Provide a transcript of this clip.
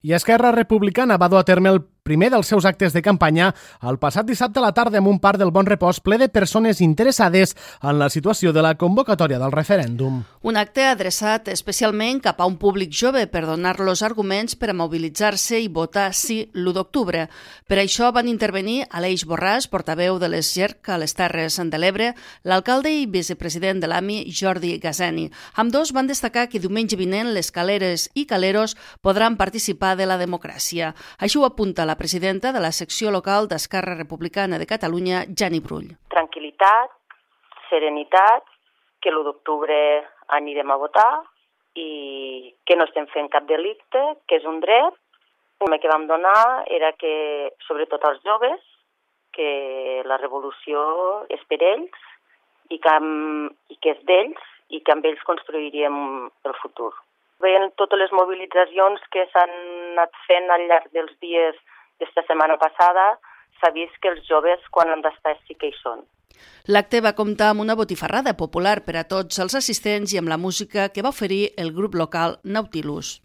I Esquerra Republicana va dur a terme el primer dels seus actes de campanya el passat dissabte a la tarda en un parc del Bon Repòs ple de persones interessades en la situació de la convocatòria del referèndum. Un acte adreçat especialment cap a un públic jove per donar-los arguments per a mobilitzar-se i votar sí l'1 d'octubre. Per això van intervenir Aleix Borràs, portaveu de les GERC a les Terres de l'Ebre, l'alcalde i vicepresident de l'AMI, Jordi Gazeni. Ambdós van destacar que diumenge vinent les caleres i caleros podran participar de la democràcia. Així ho apunta la presidenta de la secció local d'Esquerra Republicana de Catalunya, Jani Brull. Tranquil·litat, serenitat, que l'1 d'octubre anirem a votar i que no estem fent cap delicte, que és un dret. El que vam donar era que, sobretot als joves, que la revolució és per ells i que és d'ells i que amb ells construiríem el futur. Veient totes les mobilitzacions que s'han anat fent al llarg dels dies d'esta setmana passada, s'ha vist que els joves, quan han d'estar, sí que hi són. L'acte va comptar amb una botifarrada popular per a tots els assistents i amb la música que va oferir el grup local Nautilus.